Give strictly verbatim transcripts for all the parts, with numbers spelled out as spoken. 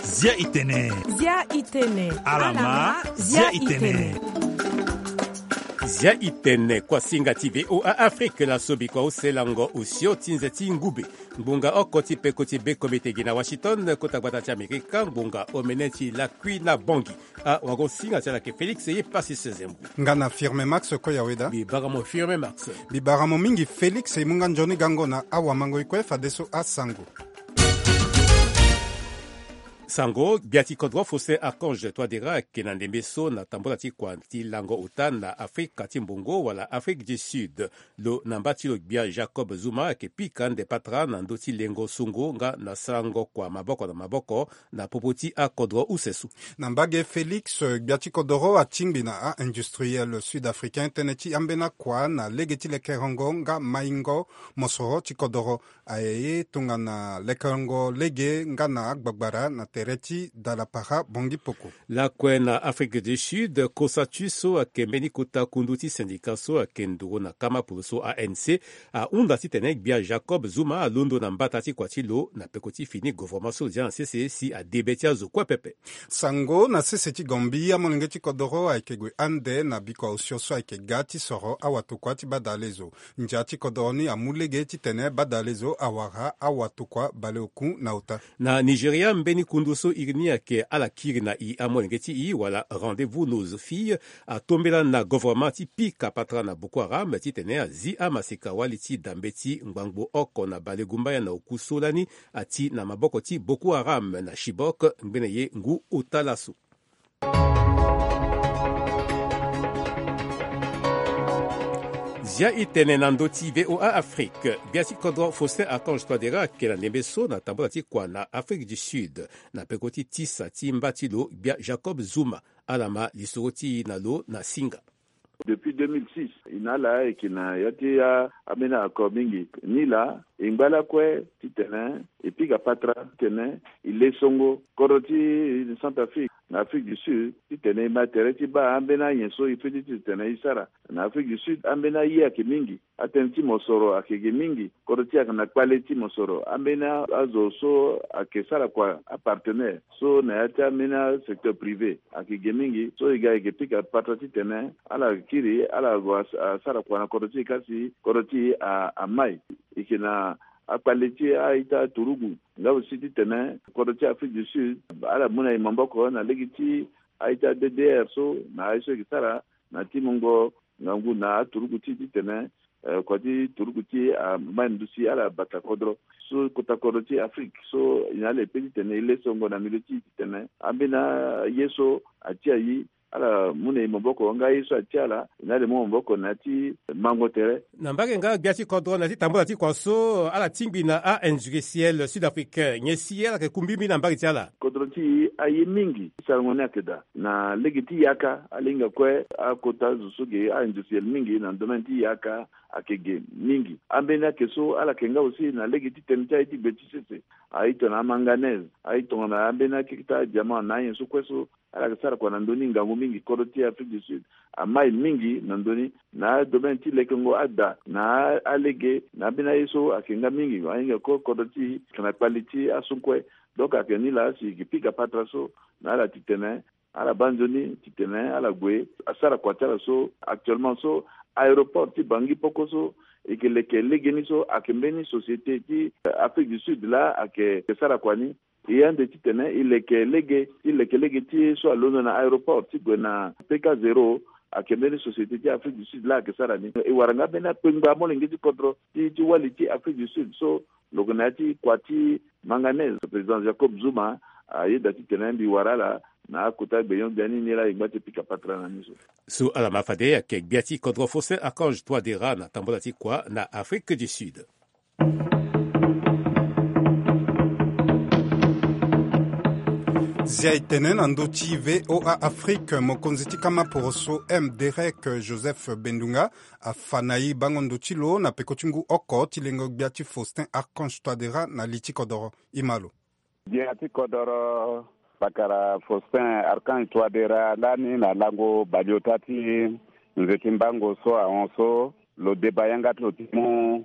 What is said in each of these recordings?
Zia itene. Zia itene. Alama, zia itene. Zia itene, kuasinga ti VOA Afrique, la sobi kua use lango osio ti nze ti ngube. Ngbonga oko ti peko ti be komite gi na Washington, kota gbata ti Amerika, ngbonga omene ti lakui na bongi. A wango singa ti ala ke Félix ye pasi sezembu. Nga na Firme Max ko ya weda. Bi bara mo Firme Max. Bi bara mo mingi Félix, e mu nga nzoni gango na awamango ikue fadeso asango. Sango, gbia ti kodro Faustin Archange Touadéra ake na ndembe so na tambula ti kua ti lango ota na Afrika ti mbongo wala Afrique du Sud. Lo na mba ti lo gbia Jacob Zuma ake pika ande patara na ndö ti lengo songo nga na sarango kua maboko na maboko na popo ti akodro use so. Na mbage Félix, gbia ti kodoro atingbi na a-industriel sud-africain tënë ti ambeni akua na lege ti lekerengo nga maingo mosoro ti kodoro. Aye ye tongana lekerengo lege nga na agbagbara na tere ti dalapara bongi poko. Lakue na Afrique du Sud, COSATU so ayeke mbeni kota kundu ti syndicat so ayeke nduru na kama polo so, A N C, ahunda titene gbia Jacob Zuma alondo na mbata ti kua ti lo na peko ti fini gouvernement so lo zia na sese si adebe ti azo kue pepe. Sango na sese ti Gambie, amolenge ti kodoro ayeke gue ande na bikua osio so ayeke ga ti soro awatokua ti badalezo. Ndia ti kodoro ni amu lege titene badalezo awara awatokua baleoku na ota. Na Nigeria, mbeni kundu so iri ni ayeke ala kiri na i amolenge ti i wala Rendez-vous nos filles atombela na gouvernement ti pika patara na Boko Haram titene azi amaseka wali ti dambe ti ngbangbo oko na balegumbaya na oku so lani ati na maboko ti Boko Haram na Chibok ngbene ye ngu ota laso. Zia itene na ndö ti VOA Afrique. Gbia ti kodro Faustin Archange Touadéra ake na ndembe so na tambula ti kua na Afrique du Sud na peko ti tisa ti mba ti lo gbia Jacob Zuma. Ala ma lisoro ti e na lo na singa. Depuis deux mille six, e na ala ayeke na ya ti a, ambeni accord mingi. Ni laa e ngba lakue titene e pika patara titene e le songo kodro ti Centrafrique na Afrique du Sud titene e ma tere ti baa ambeni anyen so e feti titene e sara. Na Afrique du Sud ambeni aye ayeke mingi. Atënë ti mosoro ayeke ge mingi. Kodro ti e ayeke na kpale ti mosoro. Ambeni a, azo so ayeke sara kua, apartenaire so na ya ti ambeni asecteur privé ayeke ge mingi. So e ga e yeke pika patara titene ala kiri ala gue as-, asara kua na kodro ti e kasi kodro ti e a, amai. E yeke na akpale ti a-ita turugu nga aussi titene kodro ti Afrique du Sud ala mu na e maboko na lege ti a-ita D D R so na aye so e yeke sara na ti mungo ngangu na aturugu ti e titene, eh, kua ti turugu ti e amai ndusi ala bata kodro. So kota kodro ti Afrique so e na ala e pe titene e le songo na milieu ti e titene ambeni aye so atia e, ala mu na e maboko nga aye so atia ala, e na ala e mu maboko na ya ti mango tere. Na mbage nga gbia ti kodro na ya ti tambula ti kua so ala tingbi na a-industriel sud-africain, nyen si ala yeke ku mbimbi na mbage ti ala? Kodro ti e aye mingi ti sarango ni ayeke daa. Na lege ti yaka ala hinga kue akota zo so ge a-industriel mingi na domaine ti yaka ayeke ge mingi. Ambeni ayeke so ala yeke nga aussi na lege ti tënë ti aye ti gbe ti sese. Aye tongana amanganèse, aye tongana ambeni akeketa adiamant na anyen so kue so ala yeke sara kua na ndö ni ngangu mingi. Kodro ti Afrique du Sud amai mingi na ndö ni na adomaine ti lekengo ada na a, alege na ambeni aye so ayeke nga mingi. Ahinga kue kodro ti e ayeke na kpali ti aso kue. Donc ayeke ni laa si e yeke pika patara so na ala titene ala baa nzoni titene ala gue asara kua ti ala so. Actuellement so aéroport ti Bangui Poko so e yeke leke legeni so ayeke mbeni société ti, eh, Afrique du Sud laa ayeke sara kua ni. E ande titene e leke lege ti leke lege ti so alondo na aéroport ti gue na P K zéro ayeke mbeni société ti Afrique du Sud laa ayeke sara ni. E wara nga mbeni akpengba molenge ti kodro ti, ti wali ti Afrique du Sud so lo gue na ya ti kua ti manganèse. Président Jacob Zuma ayeda titene mbi wara ala na akota gbenyo-gbia ni, ni laa e ngba ti pika patara na ni so. So ala ma fade ayeke gbia ti kodro Faustin Archange Touadéra na tambula ti kua na Afrique du Sud. Zia e tene na ndö ti VOA Afrique, mokonzi ti kama poroso M Derek Joseph Bendunga afa na e bango ndo ti lo na peko ti ngu oko ti lengo gbia ti Faustin Archange Touadéra na li ti kodoro. E ma lo. Gbia ti kodoro, pakara Faustin Archange Touadéra lani na lango baleota ti nze ti mbango so ahon so, lo deba yanga ti lo ti mu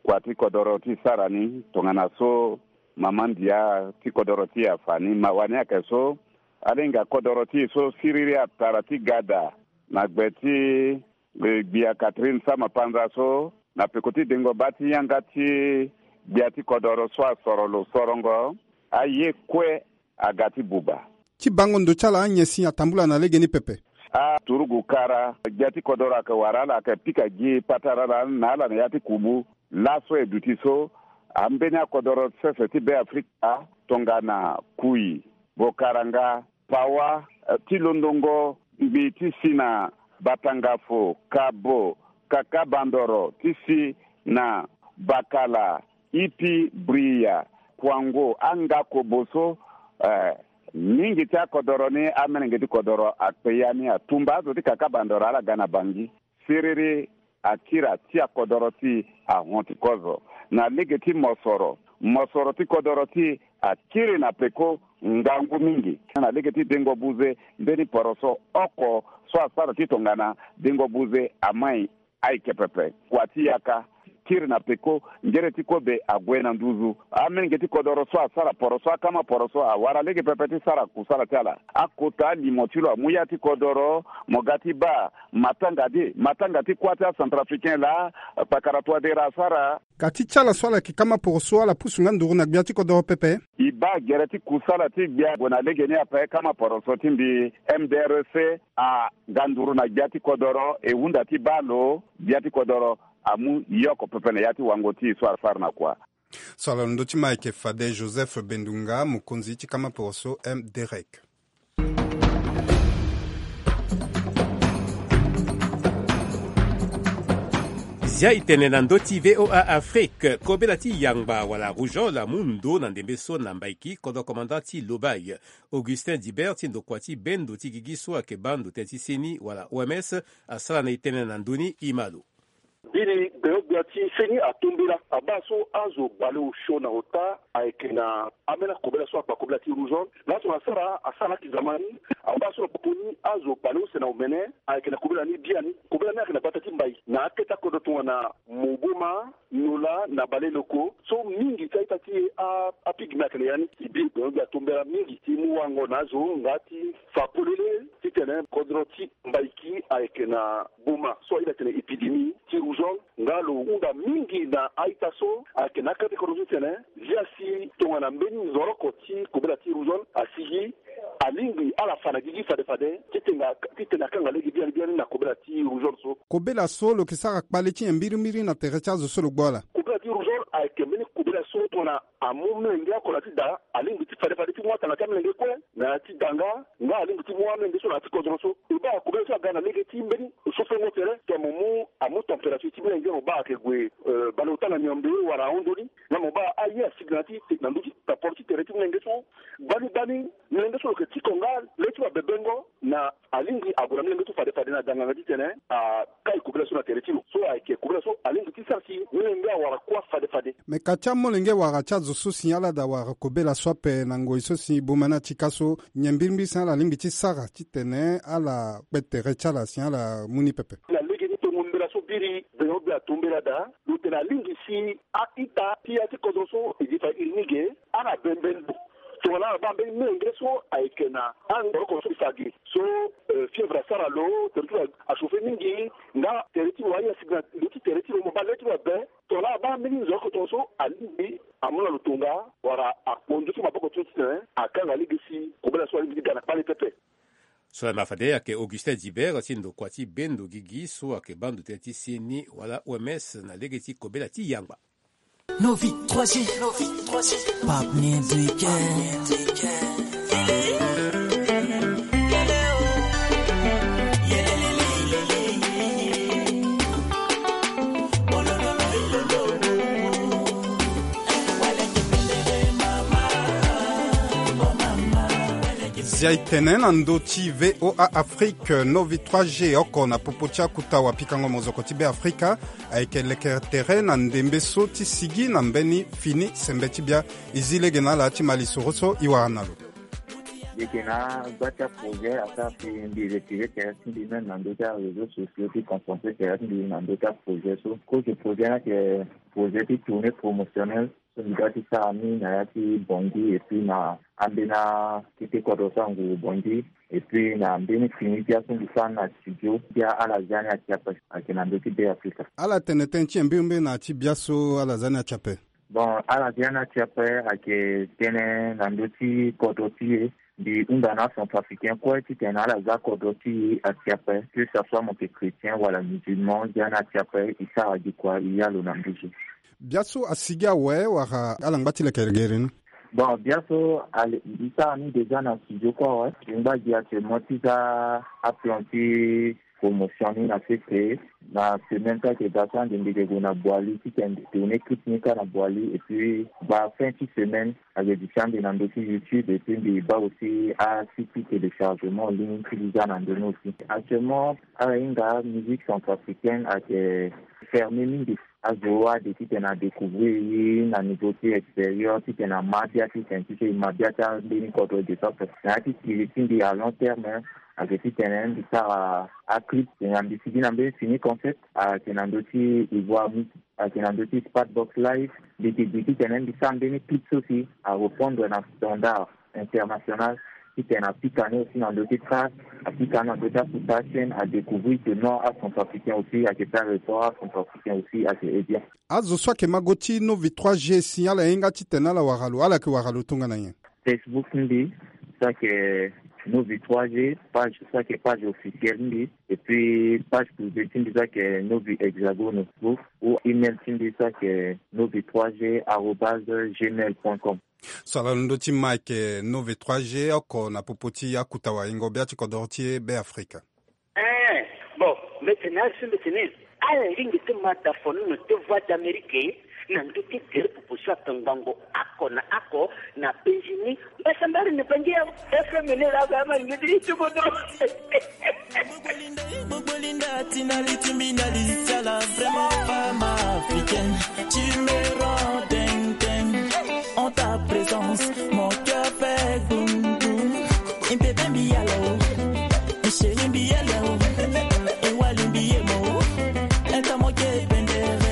kua ti kodoro ti sara ni tongana so mama ndia ti kodoro ti e afa ni. Mawa ni ayeke so, ala hinga kodoro ti e so siriri atara ti gada na gbe ti gbia Catherine Sama Panza so, na peko ti dengo baa ti yanga ti gbia ti kodoro so asoro lo sorongo, aye kue aga ti buba. Ti bango ndo ti ala anyen si atambula na lege ni pepe. Aturugu kara, gbia ti kodoro ayeke wara ala, ayeke pika gi patara ala na ala na ya ti kubu. Laso e duti so, ambeni akodoro sese ti Beafrika tongana Kui, Bokaranga, Pawa, eh, ti londongo ngbii ti si na Batangafo, Kabo, Kakabandoro, ti si na Bakala, Ipi, Bria, Kwango, anga kobo so, eh, mingi ti akodoro ni, amelenge ti kodoro akpe ya ni, atumba azo ti Kakabandoro ala ga na Bangi. Siriri akiri atia kodoro ti e ahon ti kozo. Na lege ti mosoro, mosoro ti kodoro ti e akiri na peko ngangu mingi. Na lege ti dengo buze, mbeni poroso oko so asara ti tongana dengo buze amai ayeke pepe. Kua ti yaka kiri na peko, ngere ti kobe ague na nduzu. Amelenge ti kodoro so asara poroso, akama poroso awara lege pepe ti sara kusala ti ala. Akota alimo ti lo amu ya ti kodoro, mo ga ti baa matanga de, matanga ti kuâ ti acentrafricain laa, kpakara Touadéra asara. Ka ti ti ala so ala yeke kama poroso, ala pusu nga nduru na gbia ti kodoro pepe. E baa gere ti kusala ti gbia gue na lege ni ape, kama poroso ti mbi M D R C aga nduru na gbia ti kodoro, e hunda ti baa lo, gbia ti kodoro amu yoko pepe na ya ti wango ti e so asara na kua. So ala londo ti ma ayeke fade Joseph Bendunga, mokonzi ti kama poroso M D R C. Zia e tene na ndö ti V O A Afrique, kobela ti yangba wala rougeole amu ndo na ndembe so na Mbaiki, kodro commandant ti Lobaye, Augustin Dibert ti ndokua ti bendo ti gigi so ayeke baa ndo tënë ti seni wala O M S, asara na e tënë na ndö ni, e ma lo. Biri gbenyo-gbia ti seni atombela, abaa so azo bale osio na ota ayeke na ambeni akobela so akpa kobela ti rougeole. Laso na asara, asara na aki zamani, abaa so na popo ni azo bale use na omene ayeke na kobela ni biani. Kobela ni ayeke na gbata ti Mbai na akete akodro tongana Moboma, Nola na Baleloko. So mingi ti a-ita ti e a, apigme ayeke na ya ni. E biri gbenyo-gbia atombela mingi ti mu wango na azo nga ti fa polele titene kodro ti Mbaiki ayeke na boma so ahinga tene épidémie ti rougeole, nga lo hunda mingi na a-ita so ayeke na akete kodro so titene zia si tongana mbeni nzoroko ti kobela ti rougeole asigi, alingbi ala fa na gigi fade fade titene, titene akanga lege biani biani na kobela ti rougeole so. Kobela so lo yeke sara kpale ti nyen mbirimbiri na tere ti azo so lo gbu ala? Kobela ti rougeole ayeke mbeni kobela so tongana amu molenge oko na ya ti da, alingbi ti fade fade ti mu atanga ti amolenge kue na ya ti da nga, nga alingbi ti mu amolenge so na ya ti kodro so. E baa kobela so aga na lege ti mbeni sofengo tere, tongana mo mu, amu température ti molenge, mo baa ayeke gue, euh, bale ota na miombe wala ahon ndoni, nga mo baa aye asigi na ya ti, na ndö ti taporo ti tere ti molenge so. Gbani gbani, molenge so lo yeke tiko nga le ti lo abebengo, na alingbi ague na molenge so fade fade na danganga titene akai kobela so na tere ti lo. So ayeke kobela so alingbi ti sara si molenge awara kuâ fade fade. Me ka ti amolenge wala ti azo so si ala da wara kobela so ape na ngoi so si boma ni atika so, nyen mbirimbiri si ala lingbi ti sara titene ala kpe tere ti ala si ala mu ni pepe? Na lege ti tongo mbela so biri gbenyo-gbia atombela daa, lo tene alingbi si a-ita ti ya ti kodro so e di fa iri ni ge, ala bembe ndo. Tongana ala baa mbeni molenge so ayeke na angoroko so e fa ge so, euh, fièvre asara lo, tere ti lo achauffer mingi, nga tere ti lo aye asigi na ndö ti tere ti lo, mo baa le ti lo abe. Tongana ala baa mbeni nzoroko tongaso, alingbi amu na lo tonga wala akpo ndö ti maboko ti lo titene akanga lege si kobela so alingbi ti ga na kpale pepe. So laa ma fade ayeke Augustin Dibert ti ndokua ti bendo gigi so ayeke baa ndo tënë ti seni wala O M S na lege ti kobela ti yangba. Novi trois G, Novi trois G, Pap Music. Zia e tene na ndö ti V O A Afrique, Novi trois G oko na popo ti akuta wapikango mozoko ti Beafrika ayeke lekere tere na ndembe so ti sigi na mbeni fini sembe ti bia. E zi lege na ala ti ma lisoro so e wara na lo. Eke na gba ti aprojet asara si mbi retire tere ti mbi même na ndö ti aréseau sociaux ti concentre tere ti mbi na ndö ti aprojet so. Kozo projet ni ayeke projet ti tournée promotionnelle so mbi ga ti sara ni na ya ti Bangui et puis na ambeni akete kodro so anguru Bangui et puis na mbeni fini ti aso mbi sara ni na studio ti ala zia ni ati ape. Ayeke na ndö ti Be Afrika. Ala tene tënë ti e mbirimbiri na ya ti biaso ala zia ni ati ape. Bon, ala zia ni ati ape ayeke tënë na ndö ti kodro ti e. Mbi hunda na acentrafricain kue titene ala za kodro ti e ati ape, que ça soit mo yeke chrétien wala musulman, zia ni ati ape e sara gi kua e ya lo na nduzu. Biaso asigi awe wala ala ngba ti lekelegere ni? Bon, biaso ale e sara ni déjà na studio kue awe. E ngba gi actuellement ti za aplan ti promotion ni na sese. Na semaine so ayeke ga so ande mbi yeke gue na Boali titene mbi tourner clip ni kâ na Boali et puis ba fin ti semaine ayeke duti ande na ndö ti YouTube et puis mbi baa aussi asite ti téléchargement en ligne ti mbi za na ndö ni aussi. Actuellement ala hinga musique centrafricaine ayeke fermer mingi. Azo ade titene adécouvrir e na niveau ti extérieur titene ama bia titene ti so e ma bia ti ambeni kodro e ge so ape. Na ya ti kiri ti mbi à long terme ayeke titene mbi sara aclip titene mbi sigi na mbeni fini concept ayeke na ndö ti Ivoire Mix, ayeke na ndö ti Spatbox Live. Mbi yeke gi titene mbi sara mbeni clip so si arépondre na standard international titene apika ni aussi na ndö ti trace, apika ni na ndö ti aputa chaîne, adécouvrir que non acentrafricain aussi ayeke sara effort, acentrafricain aussi ayeke aide bien. Azo so ayeke ma go ti Novi trois G si ala hinga titene ala wara lo, ala yeke wara lo tongana nyen? Facebook ti mbi so ayeke Novi trois G, page so ayeke page officielle ti mbi, et puis page privé ti mbi so ayeke Novi Hexagone, ou email ti mbi so ayeke novi trois g arobase gmail point com. So ala londo ti ma ayeke Novi trois G oko na popo ti akuta waingo bia ti kodoro ti e Be Afrika. Eh, bon, mbeti na azo mbeti ni. Ala lingbi ti ma dafono na te Voix d'Amérique na ndö ti tere popo so atongbango oko na oko na penzi ni. Mbasambari ni bangi ya F M ni la ga ma ni ti ti bodo. Gbogbo linda ti na li ti mbi na li ti ala, vraiment femme africaine, tu me rends dingue, dingue. En ta présence, mon cœur fait boum boum. Impepembi yala o, isheri mbi yala o, ewali mbi yemo o, enta moke pendere.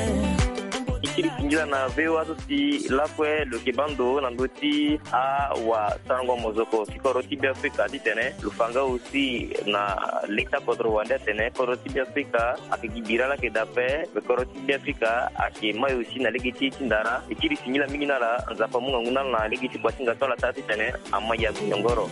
Ikiri singila na V O A so si lakue lo yeke baa ndo na ndö ti awasarango mozoko ti kodro ti Be Afrika titene lo fa nga aussi na leta kodro wande atene kodro ti Be Afrika ayeke gi bira laa ayeke daa ape. Kodro ti Be Afrika ayeke mai aussi na lege ti e ti ndara. E kiri singila mingi na ala, Nzapa amu ngangu na ala na lege ti kua ti nga so ala sara titene ama ya gonyongoro.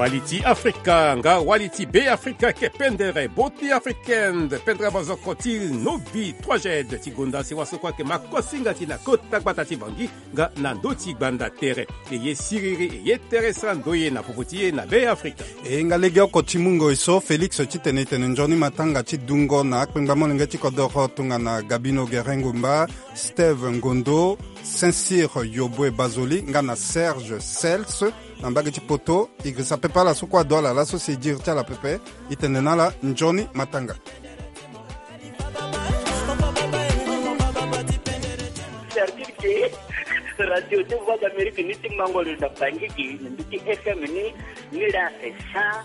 Wali ti Afrika nga wali ti Be Afrika ayeke pendere, Beauté africaine, pendere mozoko ti Novi trois G ti gonda si waso kue ayeke ma kosinga ti na kota gbata ti Bangui nga na ndö ti gbanda tere. E ye siriri, e ye tere sara ndoye na popo ti e na Be Afrika. E nga legeoko ti mungo e so Félix titene e tene nzoni matanga ti dungo na akpengba molenge ti kodoro tongana Gabino Gerengumba, Steve Ngondo, Saint-Cyr Yobwe Bazoli nga na Serge Sels. Na mbage ti poto, e girisa pepe ala so kue ado ala laso si e diri ti ala pepe. E tene na ala nzoni matanga. Cest-à-dire que radio ti Voix d'Amérique ni ti mango lo na Bangui gi na ndö ti F M ni, ni la c'est cent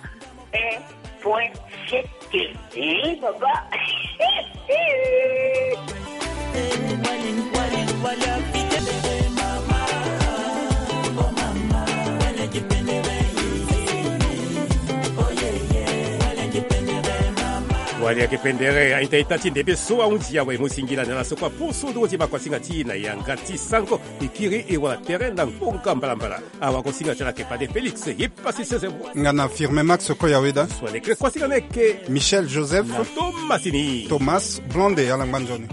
un point sept. Eh, papa. Wali ayeke pendere, a-ita-ita ti ndembe so ahunzi awe, mo singila na ala so kue apusu nduru ti makosinga ti e na yanga ti sango. E kiri e wala tere na ngonga mbalambala. Awakosinga ti ala ayeke fade Félix, ye pasi sese mo. Nga na Firme Max Koyaweda. So alekere kosinga ni ayeke Michel Joseph na Thomas ni. Thomas Blonde, ala ngba nzoni.